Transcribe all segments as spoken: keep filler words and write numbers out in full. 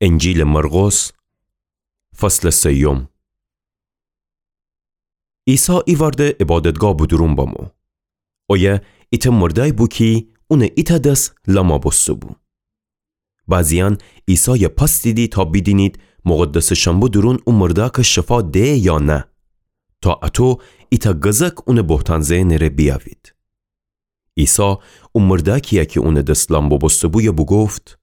انجیلٚ مرقس، فصلٚ سیوم. عیسی ایوأرده عبادتگاه به دورون بمو. اویه ایتأ مردأی بو کی اونٚ ایتأ دس لما بوسته‌بو. بعضیأن عیسایَ پأستیدی تا بیدینید مقدسٚ شنبه دورون او مردأکَ شفا ده یا نه، تا اَتو ایتأ گزک اونٚ بهتان زئنٚ ره بیأوید. عیسی او مردأکی‌یَ کی اونٚ دس لم بوبوسته‌بویَ بوگفت: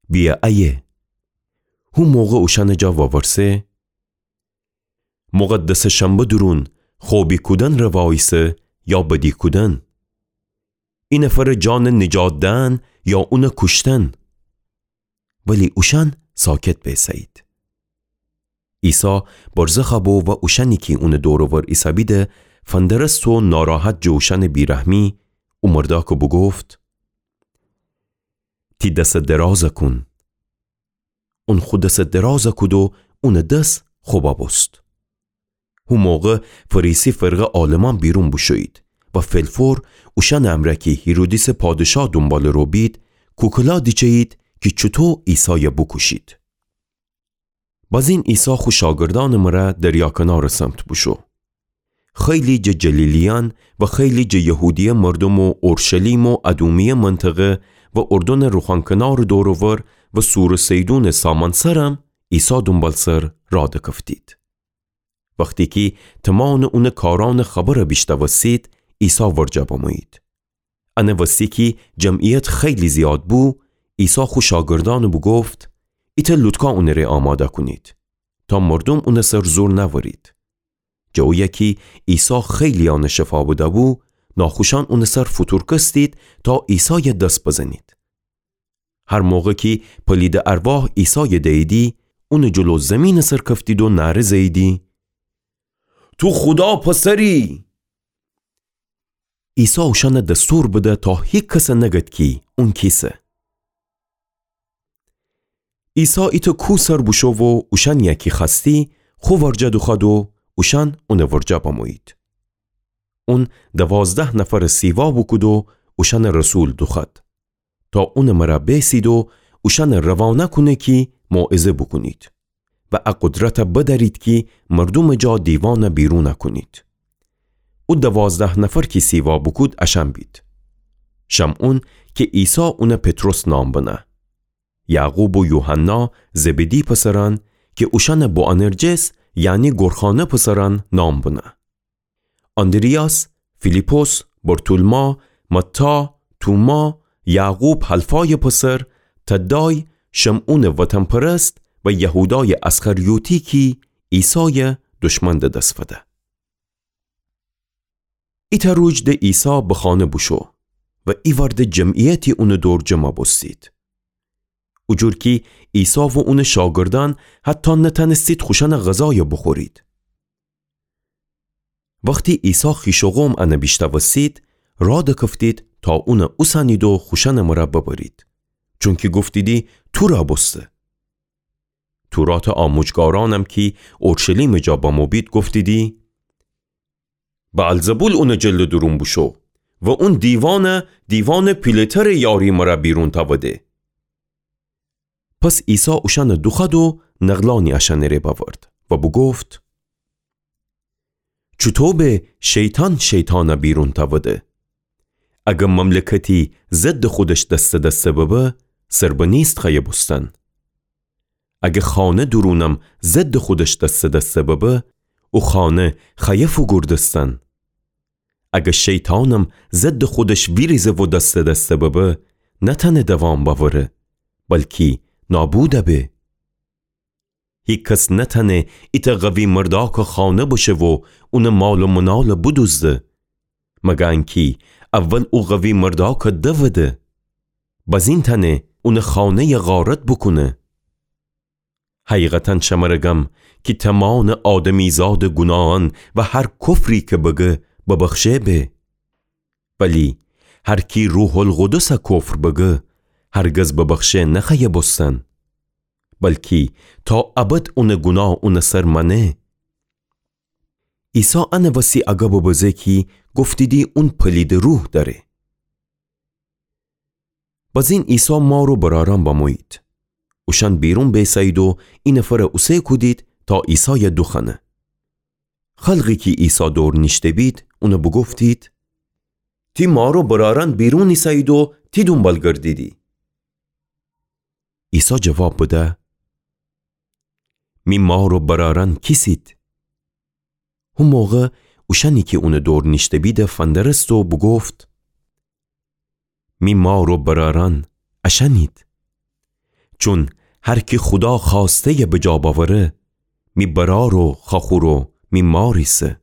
بیأ ایه. هو موقع اوشأنٚ جا وورسه: مقدسٚ شنبه دورون خو بیکودنٚ ره واییسه یا بدی کودن؟ ای نفرٚ جانَ نجات دئن یا اونَ کوشتن؟ ولی اوشأن ساکت بیسه‌یید. عیسی برزخَ بو و اوشأنی کی اونٚ دور و ور ایسه‌بیده فندرست و ناراحت جٚه اوشأنٚ بیرحمی، او مردأکَ بوگفت: تی دسَ درازَ کون. اون خو دسَ درازَ کود و اونٚ دس خو ببوست. هو موقع فریسی فرقه عالمأن بیرون بوشویید و فلفور اوشأنٚ امرأ کی هیرودیسٚ پادشاه دونبالٚ رو بید، کوکلا دیچه‌یید کی چوطو عیسایَ بوکوشید. بازین عیسی خو شاگردأنٚ مرأ دریا کنارٚ سمت بوشو. خیلی جٚه جلیلیأن و خیلی جٚه یهودیه مردوم و اورشلیم و ادومیه منطقه و اردنٚ روخان کنارٚ دور و ور و صورٚ صیدونٚ سامأن سرم عیسی دونبالسر راه دکفتید. وختی کی تومانٚ اونٚ کارأنٚ خبرَ بیشنوستید، عیسی ورجه بمویید. انه وستی کی جمعیت خیلی زیاد بو، عیسی خو شاگردأنَ بوگفت: ایتأ لوطکا اونٚ ره آماده کونید، تا مردوم اونٚ سر زور نأورید. جٚه اویه کی عیسی خیلی‌یأنَ شفا بده‌بو، ناخوشأن اونٚ سر فوتورکستید تا عیسایَ دس بزنید. هر موقع کی پلیدٚ ارواح عیسایَ دییدی، اونٚ جلو زیمینٚ سر کفتید و نعره زه‌ییدی: تو خودا پسری! عیسی اوشأنَ دستور بده تا هیکسَ نگد کی اون کیسه. عیسی ایتأ کوه سر بوشو و اوشأنی‌یَ کی خوأستی خو ورجه دوخوأد و اوشأن اونٚ ورجه بمویید. اون دوازده نفرَ سیوا بوکود و اوشأنَ رسول دوخوأد تا اونٚ مرأ بیسید و اوشأنَ روانه کونه کی موعظه بوکونید و ا قدرتَ بدأرید کی مردومٚ جا دیوانَ بیرونَ کونید. او دوازده نفر کی سیوا بوکود اشأن بید: شمعون کی عیسی اونَ پطرس نام بنه، یعقوب و یوحنا زبدی پسرأن کی اوشأنَ بوآنرجس یعنی گورخانه پسرأن نام بنه، آندریاس، فیلیپس، برتولما، متی، توما، یعقوب حلفایٚ پسر، تدای، شمعونٚ وطن‌پرست و یهودایٚ اسخریوطی کی عیسایَ دشمن ده دس فده. ایتأ روج ده عیسی به خانه بوشو و ایوأرده جمعیتی اونٚ دور جمع بوستید. او جور کی عیسی و اونٚ شاگردأن حتی نتأنستید خوشأنٚ غذایَ بوخورید. وختی عیسی خویش و قوم انَ بیشنوستید، راه دکفتید تا اونَ اوسنید و خوشأنٚ مرأ ببرید، چونکی گفتیدی تورَ بوسته. توراتٚ آموجگارأنم کی اورشلیمٚ جا بمو بید گفتیدی: بعلزبول اونٚ جلٚ دورون بوشو و اون دیوانَ، دیوانٚ پیله‌ترٚ یاری مرأ بیرون تأوده. پس عیسی اوشأنَ دوخوأد و نقلأنی اشأنٚ ره بأورد و بوگفت: چوطو به شیطان شیطانَ بیرون تأوده؟ اگر مملکتی ضدٚ خودش دسته دسته ببه، سربنیست خوأیه بوستن. اگر خانه دورونم ضدٚ خودش دسته دسته ببه، او خانه خوأیه فوگوردستن. اگر شیطانم ضدٚ خودش ویریزه و دسته دسته ببه، نتأنه دوام بأوره، بلکی نابودَ به. هیکس نتأنه ایتأ قوی مردأکٚ خانه بشه و اونٚ مال و منالَ بدوزده، مگر انکی اول او قوی مردأکَ دوده، بزین تأنه اونٚ خانه‌یَ غارت بوکونه. حقیقتاً شمره گم کی تومانٚ آدمیزادٚ گوناهأن و هر کفری کی بگه ببخشه به. ولی هر کی روح‌القدسَ کفر بگه، هرگز ببخشه نخوأیه بوستن، بلکی تا ابد اونٚ گوناه اونٚ سر مأنه. عیسی انٚ وسی اگه ببزه کی گفتیدی اون پلیدٚ روح دأره. بزین عیسی مار و برأرأن بمویید. اوشأن بیرون بیسه‌یید و اینفرَ اوسه کودید تا عیسایَ دوخوأنه. خلقی کی عیسی دور نیشته‌بید، اونَ بوگفتید: تی مار و برأرأن بیرون ایسه‌یید و تی دونبال گردیدی. عیسی جواب بده: می مار و برأرأن کیسید؟ هو موقع اوشأنی کی اونٚ دور نیشته‌بید فندرست و بوگفت: می مار و برأرأن اشأنید. چون هر کی خودا خوأسته‌یَ بجا بأوره، می برأر و خوأخور و می مار ایسه.